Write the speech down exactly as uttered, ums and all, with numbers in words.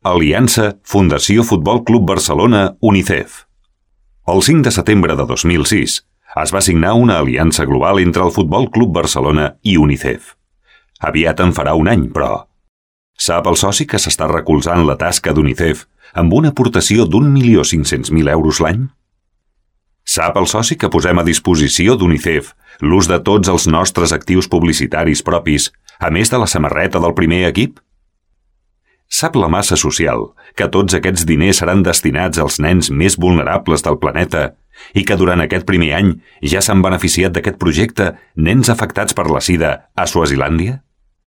Aliança Fundació Futbol Club Barcelona UNICEF. El cinc de setembre de dos mil sis es va signar una aliança global entre el Futbol Club Barcelona i UNICEF. Aviat en farà un any, però... Sap el soci que s'està recolzant la tasca d'UNICEF amb una aportació d'un milió cinc-cents mil euros l'any? Sap el soci que posem a disposició d'UNICEF l'ús de tots els nostres actius publicitaris propis, a més de la samarreta del primer equip? Sap la massa social que tots aquests diners seran destinats als nens més vulnerables del planeta i que durant aquest primer any ja s'han beneficiat d'aquest projecte nens afectats per la sida a Swazilàndia?